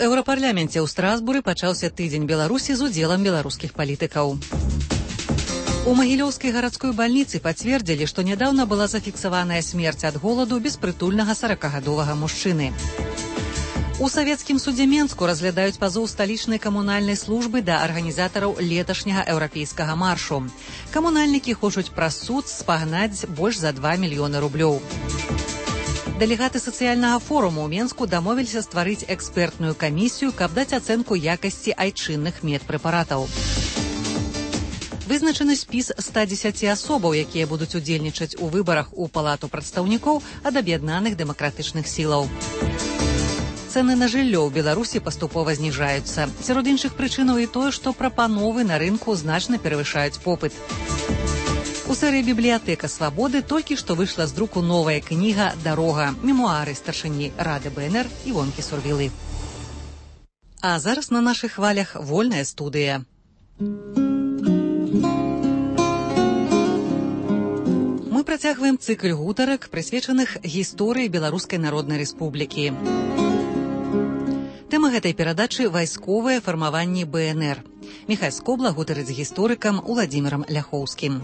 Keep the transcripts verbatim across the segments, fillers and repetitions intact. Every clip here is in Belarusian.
еўрапарляменце ў Страсбуры пачаўся тыдзень Беларусі з удзелам беларускіх палітыкаў. У Магілёўскай гарадской бальніцы пацвердзілі, што нядаўна была зафіксаваная смерць ад голаду беспрытульнага саракагадовага мужчыны. У савецкім судзе Менску разглядаюць пазоў сталічнай камунальнай службы да арганізатараў леташняга еўрапейскага маршу. Камунальнікі хочуць праз суд спагнаць больш за два мільёны рублёў. Дэлегаты сацыяльнага форуму ў Менску дамовіліся стварыць экспертную камісію, каб даць ацэнку якасці айчынных медпрэпаратаў. Вызначаны спіс ста дзесяці асобаў, якія будуць удзельнічаць у выбарах у палату прадстаўнікоў ад аб'яднаных дэмакратычных сілаў. Цэны на жыллё ў Беларусі паступова зніжаюцца. Сярод іншых прычынаў і тое, што прапановы на рынку значна перавышаюць попыт. У серыі «Бібліятэка свабоды» толькі што выйшла з друку новая кніга «Дарога» мемуары старшыні Рады БНР Івонкі Сурвілы. А зараз на нашых хвалях вольная студыя. Мы працягваем цыкль гутарак, прысвечаных гісторыі Беларускай Народнай Рэспублікі. Тэма гэтай перадачы вайсковае фармаванне БНР. Міхай Скобла гутарыць з гісторыкам Уладзімірам Ляхоўскім.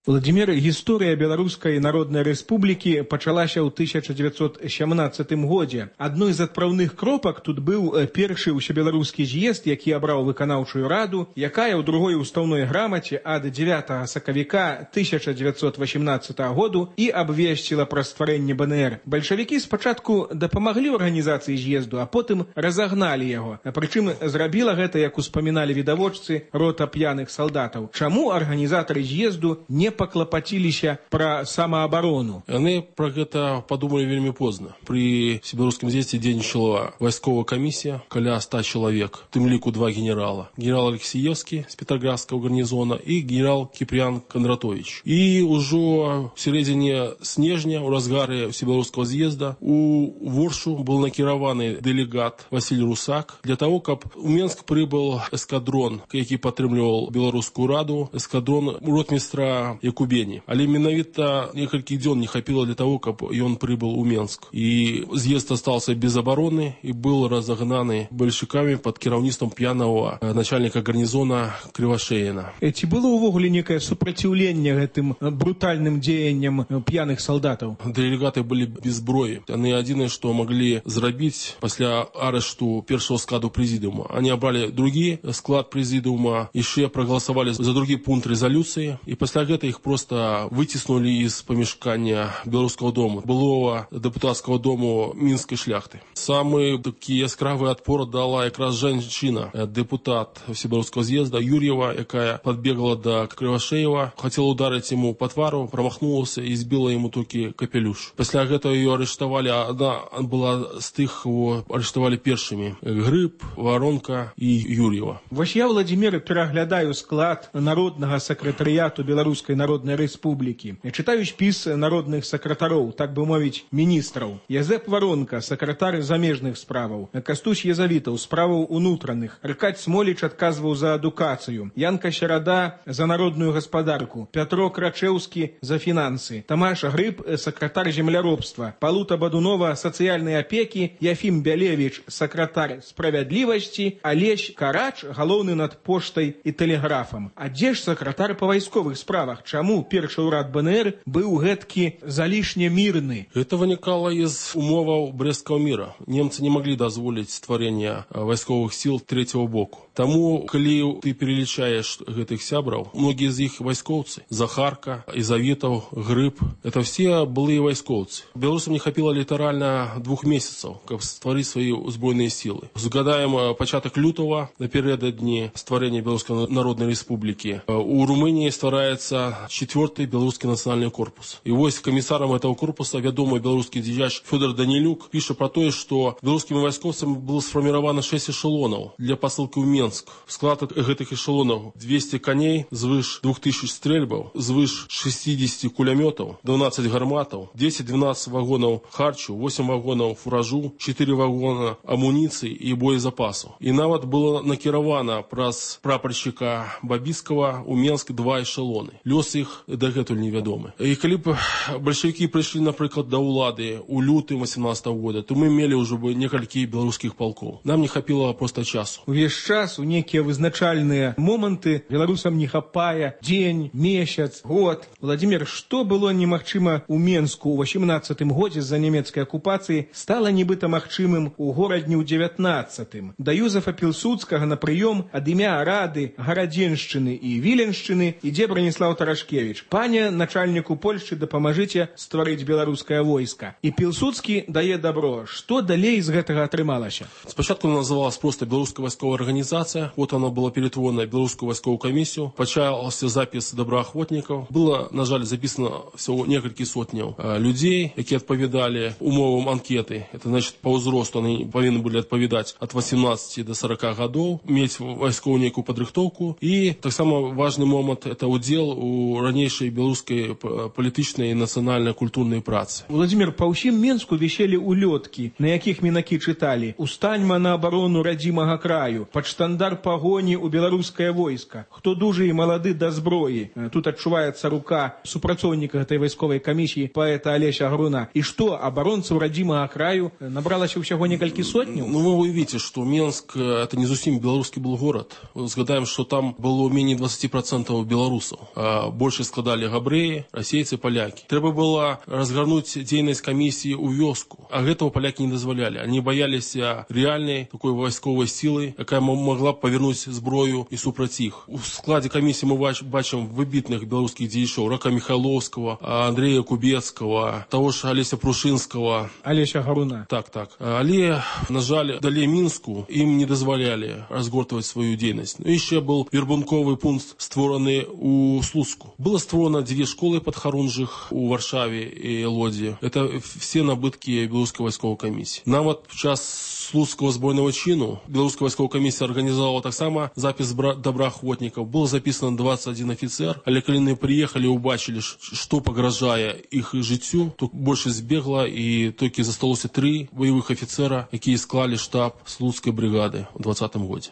Владимир, гісторыя Беларускай Народнай Рэспублікі пачалася ў тысяча дзевяцьсот сямнаццатым годзе. Адной з адпраўных кропак тут быў першы ўсебеларускі з'езд, які абраў выканаўчую раду, якая ў другой устаўной грамаце ад дзявятага сакавіка тысяча дзевяцьсот васямнаццатага году і абвесціла пра стварэнне БНР. Бальшавікі спачатку дапамаглі ў арганізацыі з'езду, а потым разагналі яго. Прычым зрабіла гэта, як успаміналі відавочцы, рота п'яных салдатаў. Чаму арганізатары з'езду не паклапаціліся пра самаабарону? Яны пра гэта падумалі вельмі позна. Пры всебеларускім з'ездзе дзейнічала вайсковая камісія, каля ста чалавек, тым ліку два генерала. Генерал Алексеевскі з петраградскага гарнізона і генерал Кіпрян Кондратович. І ўжо в сярэдзіне снежня, у разгары всебеларускага з'езда, у Воршу быў накіраваны дэлегат Васіль Русак для таго, каб у Менск прыбыл эскадрон, які падтрымліваў Беларускую раду, эскадрон ротмістра Якубені. Але менавіта некалькі дзён не хапіла для таго, каб ён прыбыл у Менск. І з'езд астаўся без абароны і быў разагнаны бальшавікамі пад кіраўніцтвам п'янага начальніка гарнізона Крывашеіна. Ці было ўвогуле некае супраціўленне гэтым брутальным дзеянням п'яных салдатаў? Дэлегаты былі без зброі. Яны адзінае, што маглі зрабіць пасля арышту першага складу прэзідыума. Они абралі другі склад прэзідыума, яшчэ прагаласавалі за другі пункт рэзалюцыі, і пасля гэта их просто вытеснули из помешкания Белорусского дома, былого депутатского дому Минской шляхты. Самый такий яскравый отпор дала якраз женщина, депутат Всебелорусского з'езда Юрьева, якая подбегла до Кривошеева, хотела ударить ему по твару, промахнулась и сбила ему только капелюш. После этого ее арештовали, она была с тых, кого арештовали першими: Гриб, Воронка и Юрьева. Вось я, Владимир, пераглядаю склад народного секретариату Белорусской Народной Рэспублікі. Чытаю спіс народных сакратароў, так бы мовіць, міністраў. Язэп Воронка, сакратар замежных справаў. Кастусь Езавітаў, справаў унутраных. Аркадь Смоліч адказваў за адукацыю. Янка Серада за народную гаспадарку. Пятро Крачэўскі за фінансы. Тамаш Грыб, сакратар земляробства. Палута Бадунова, сацыяльнай апекі. Яфім Бялевіч, сакратар справядлівасці. Алесь Карач, галоўны над поштай і тэлеграфам. А дзе ж сакратар па вайсковых справах? Чаму першы ўрад БНР быў гэткі залішне мірны? Это вынікала из умоваў Брестского мира. Немцы не могли дазволіць стварэння вайсковых сил третьего боку. Таму, калі ты перелічаеш гэтых сябраў, многие из іх вайскоўцы. Захарка, Езавітаў, Грыб, это все былыя вайскоўцы. Беларусам не хапіла літаральна двух месяцаў, каб стварыць свае узброеныя сілы. Згадаем пачатак лютага, напярэдадні стварэння Беларускай Народнай Рэспублікі. У Румынии ствараецца четвертый белорусский национальный корпус. И вось комиссаром этого корпуса вядомый белорусский дзеяч Федор Данилюк пишет про то, что белорусскими войсковцами было сформировано шесть эшелонов для посылки в Минск Менск. Склад гэтых эшелонаў двести коней, звыш двух тысяч стрельбаў, звыш шестьдесят кулямётаў, двенадцать гарматаў, десять-двенадцать вагонаў харчу, восемь вагонаў фуражу, четыре вагона амуніцыі і боезапасу. І нават было накіравана праз прапаршчыка Бабіцкага у Менск два эшелоны. Лёс іх дагэтуль невядомы. І калі б бальшавікі прыйшлі, напрыклад, да ўлады у лютым восемнадцатого года, то мы мелі ўжо бы некалькі беларускіх палкоў. Нам не хапіла проста часу. Увесь час у некія вызначальныя моманты беларусам не хапае дзень, месяц, год. Владимир, што было немагчыма ў Менску ў восемнадцатым годзе з-за нямецкай акупацыі, стала нібыта магчымым у горадні ў дзевятнаццатым. Да Юзефа Пілсудскага на прыём ад імя Рады Гарадзеншчыны і Віленшчыны ідзе Браніслаў Тарашкевіч. Пане начальніку Польшчы, дапамажыце стварыць беларускае войска. І Пілсудскі дае добро. Што далей з гэтага атрымалася? Спачатку она называлась просто Белорусская войсковая организация. Вот она была перетворена в Белорусскую войсковую комиссию. Почался запис доброохотников. Было, на жаль, записано всего несколько сотняў людей, які адпавядалі умовам анкеты. Это значит, по ўзросту они повинны были адпавядаць от восемнадцати до сорока годов, мець вайсковую некую падрыхтоўку. И так само важный момент – это удел у ранейшай беларускай палітычнай і нацыянальна-культурнай працы. Владимир, па ўсім Менску віселі улёткі, на якіх мінакі чыталі: «Устаньма на абарону радзімага краю», «Пад штандар пагоні ў беларускае войска», «Хто дужы і малады да зброі». Тут адчуваецца рука супрацоўніка гэтай вайсковай камісіі паэта Алеся Груна. І што, абаронцаў радзімага краю набралася ўсяго некалькі сотняў? Ну, вы увидите, что Менск – это не зусім беларускі был город. Згадаем, что там было менее двадцати процентов белорусов. А больше складали габрэі, расейцы, поляки. Трэба было разгарнуть дзейнасць камісіі ў вёску. А гэтага поляки не дазволялі. Они боялись реальной такой войсковой силы, якая могла повернуть зброю и супраць іх. У складе комиссии мы бачим выбитных белорусских дзеячоў: Рака Михайловского, Андрея Кубецкого, того же Олеся Прушинского. Олеся Гаруна. Так, так. Але, на жаль, далее Минску им не дозволяли разгортывать свою деятельность. Ну, еще был вербунковый пункт, створенный у Слуцку. Было створено две школы подхорунжих у Варшаве и Лодзе. Это все набытки белорусской войсковой комиссии. Нават в час Слуцкого збройного чину белорусская войсковая комиссия организовала так само запись доброохотников. Было записано двадцать один офицер, але калі они приехали и убачили, что погрожая их жыццю, то больше збегла, и только засталося три боевых офицера, якія склали штаб Слуцкой бригады в двадцатом году.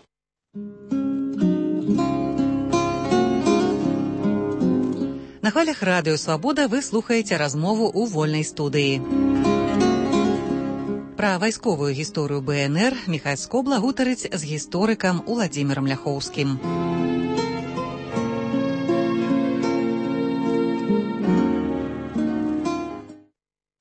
На хвалях радыё «Свабода» вы слухаеце размову ў вольнай студыі. Пра вайсковую гісторыю бэ эн эр Міхась Скобла гутарыць з гісторыкам Уладзімірам Ляхоўскім.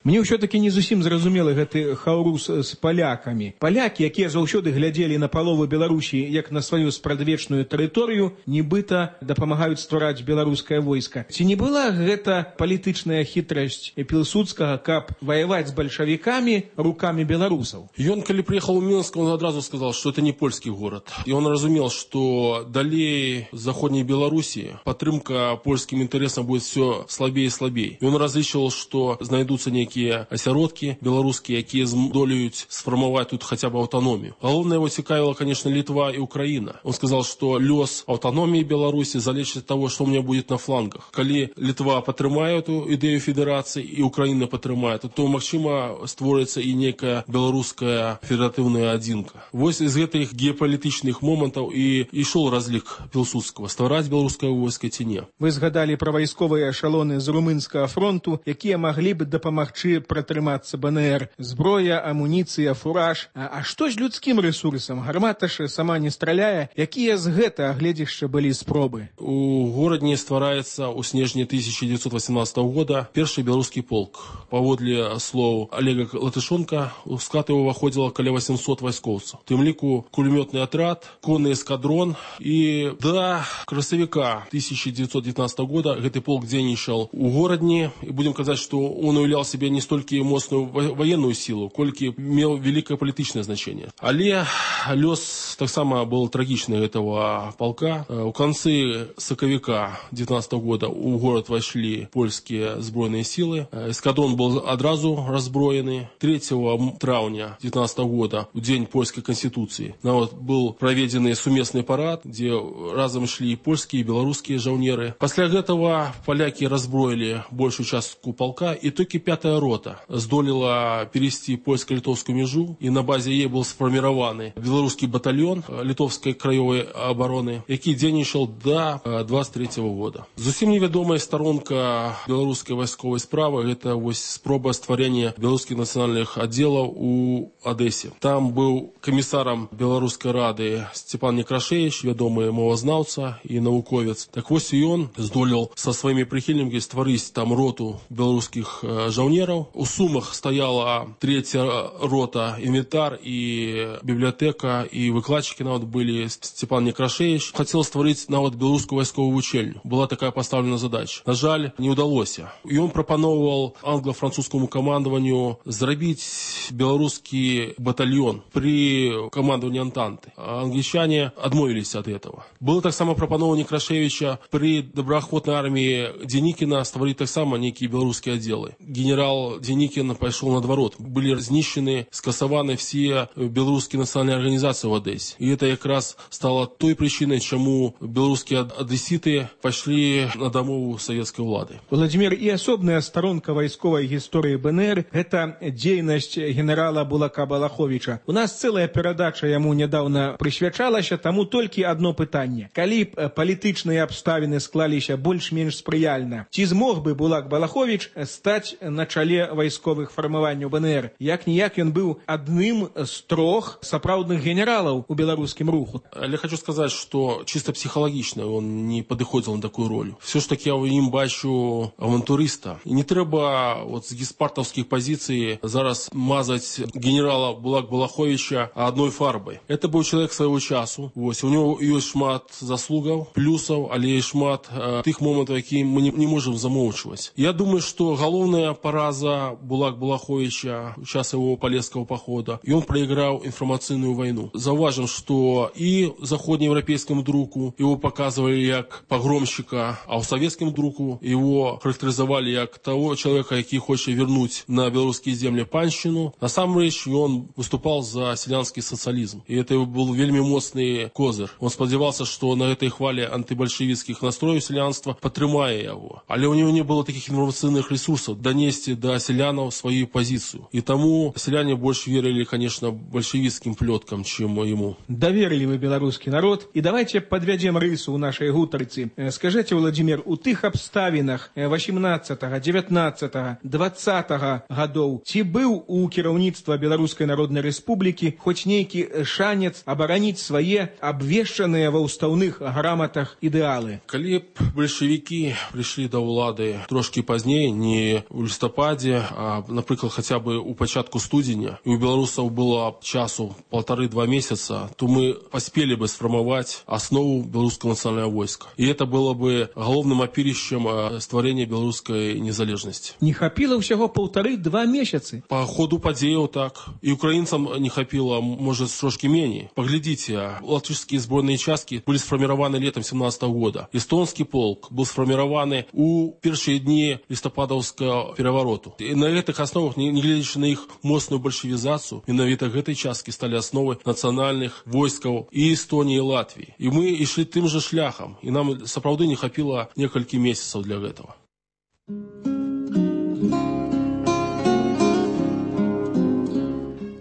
Мне ўсё-таки не зусім зразумелы гэты хаўрус з палякамі. Палякі, якія заўсёды глядзелі на палову Беларусі як на сваю спрадвечную тэрыторыю, нібыта дапамагаюць ствараць беларускае войска. Ці не была гэта палітычная хітрасць Пілсудскага, каб ваяваць з бальшавікамі рукамі беларусаў? Ён, калі приехал в Минск, он одразу сказал, что это не польский город. И он разумел, что далее Заходней Белоруссии падтрымка польским интересам будет все слабее и слабее. И он различил, что знайдутся некие асяродкі беларускія, якія здолеюць сфармаваць тут хотя бы аўтаномію. Галоўнае его цікавіла, конечно, Литва и Украина. Он сказал, что лёс аўтаномии Беларуси залежит от того, что у меня будет на флангах. Калі Литва падтрымае эту ідэю федерации и Украина падтрымае, то, магчыма, створыцца и некая беларуская федератыўная адзінка. Вось из гэтых геапалітычных момантаў и ішоў разлік Пілсудскага: ствараць беларускае войска ці не. Вы згадалі пра вайсковыя эшалоны з румынскага фронту, якія маглі б дапамагчы пратрымацца бэ эн эр. Зброя, амуніцыя, фураж. А, а што з людскім рэсурсам? Гармата ж сама не страляе. Якія з гэта гледзішча былі спробы? У горадні ствараецца ў снежні тысяча девятьсот восемнадцатого года першы беларускі полк. Паводле слоў Олега Латышонка, у склад его выходзіла каля восемьсот вайскоўцаў. У тым ліку кулемётны атрад, конны эскадрон. І да красавіка тысяча девятьсот девятнадцатого года гэты полк дзейнічаў у горадні. І будем казаць, што он уяўляў себе не столько моцную военную силу, колькі меў великое палітычнае значение. Але лёс таксама был трагичный этого полка. У конце сакавіка девятнадцатого года у город вошли польские сбройные силы. Эскадрон был одразу разброены. третьего траўня девятнадцатого года, в день польской конституции, вот, был проведен сумесный парад, где разом шли и польские, и белорусские жаўнеры. После этого поляки разброили большую частку полка, и только пятая рота здолела перевести польско-литовскую межу, и на базе ей был сформирован белорусский батальон литовской краевой обороны, який дзейнічаў до двадцать третьего года. Зусім невядомая сторонка белорусской войсковой справы – это вот спроба стварения белорусских национальных отделов у Одессе. Там был комиссаром Белорусской рады Степан Некрашевич, вядомый мовазнаўца и науковец. Так вот и он здолел со своими прихильниками створить там роту белорусских жаўнеров. У Сумах стояла третья рота, инвентарь и библиотека, и выкладчики нават были. Степан Некрашевич хотел створить нават белорусскую войсковую учельню. Была такая поставлена задача. На жаль, не удалось. И он пропановывал англо-французскому командованию зрабіць белорусский батальон при командовании Антанты. А англичане отмовились от этого. Было так само пропановано Некрашевича при доброахвотной армии Деникина створить так само некие белорусские отделы. Генерал Деникин пошел наоборот. Были знищены, скасованы все белорусские национальные организации в Одессе. И это как раз стало той причиной, чему белорусские одесситы пошли на домову советской влады. Владимир, и особная сторонка войсковой истории БНР – это деятельность генерала Булака Балаховича. У нас целая передача ему недавно присвячалася, тому только одно питание. Калі б палітычныя абставіны склаліся больш-менш спрыяльна, ці змог бы Булак Балахович стаць на чале вайсковых фармаванняў БНР? Як-ніяк ён быў адным з трох сапраўдных генералаў у беларускім руху. Я хочу сказать, что чисто психологично он не подыходил на такую роль. Все ж таки я в ним бачу авантуриста. И не треба вот с геспартовских позиций зараз мазать генерала Булак Балаховича одной фарбой. Это был человек своего часу. Вот. У него есть шмат заслугов, плюсов, але и шмат э, тых моментов, які мы не, не можем замолчивать. Я думаю, что головная пораза Булак Балаховича в час его Полесского похода, и он проиграл информационную войну. Зауважим, что и заходнеевропейскому другу его показывали как погромщика, а у советскому другу его характеризовали как того человека, который хочет вернуть на белорусские земли панщину. На самом деле он выступал за селянский социализм. И это был вельми моцный козырь. Он сподевался, что на этой хвале антибольшевистских настроев селянства потрымае его. Але у него не было таких информационных ресурсов донести до селянов свою позицию. И тому селяне больше верили, конечно, большевистским плеткам, чем ему. Доверили вы белорусский народ. И давайте подведем рысу у нашей гутарцы. Скажите, Владимир, у тых обставинах восемнадцатого, девятнадцатого, двадцатого годов ці быў у кіраўніцтва Беларускай Народнай Рэспублікі хоць нейкі шанец абараніць свае абвешчаныя ва ўстаўных граматах ідэалы? Калі б большевики пришли до улады трошки позднее, не в листопаде, а, например, хотя бы у початку студеня, и у белорусов было часу полторы-два месяца, то мы поспели бы сформовать основу белорусского национального войска. И это было бы головным опирищем створения белорусской незалежности. Не хапило всего полторы-два месяца? По ходу подеял так. И украинцам не хапило, может, трошки менее. Поглядите, латышские сборные части были сформированы летом семнадцатого года. Эстонский полк был сформирован у первые дни листопадовского переворота. И на этих основах, не глядя на их мощную большевизацию, именно этой части стали основой национальных войск и Эстонии, и Латвии. И мы и шли тем же шляхом. И нам, соправды, не хапило несколько месяцев для этого.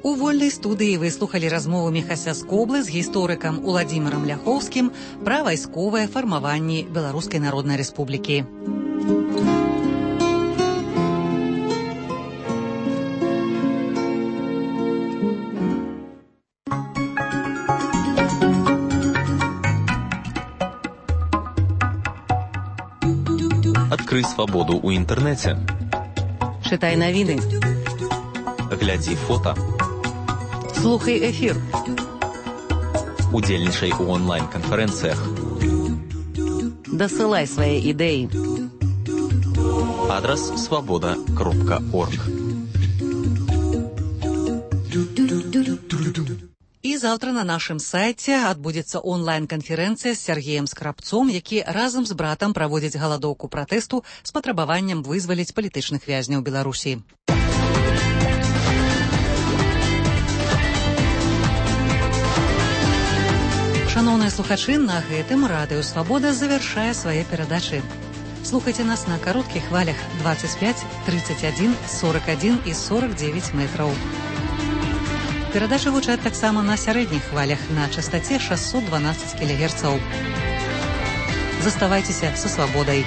У вольнай студыі вы слухалі размову Міхася Скоблы з гісторыкам Уладзімірам Ляхоўскім пра вайсковае фармаванне Беларускай Народнай Рэспублікі. Открой свободу у интернете. Читай новины. Гляди фото. Слухай эфир. Удзельнічай у онлайн-канферэнцыях. Дасылай свае ідэі. Адрес свобода кропка орг. І заўтра на нашым сайце адбудзецца онлайн-канферэнцыя з Сергеем Скрабцом, які разам з братам праводзіць галадоўку пратэсту з патрабаваннем вызваліць палітычных вязняў Беларусі. Шаноўныя слухачы, на гэтым радыё «Свабода» завяршае свае перадачы. Слухайце нас на кароткіх хвалях двадцать пять, тридцать один, сорок один і сорок девять метраў. Перадачы гучаць таксама на сярэдніх хвалях на частаце шестьсот двенадцать кілогерцаў. Заставайцеся са свабодай.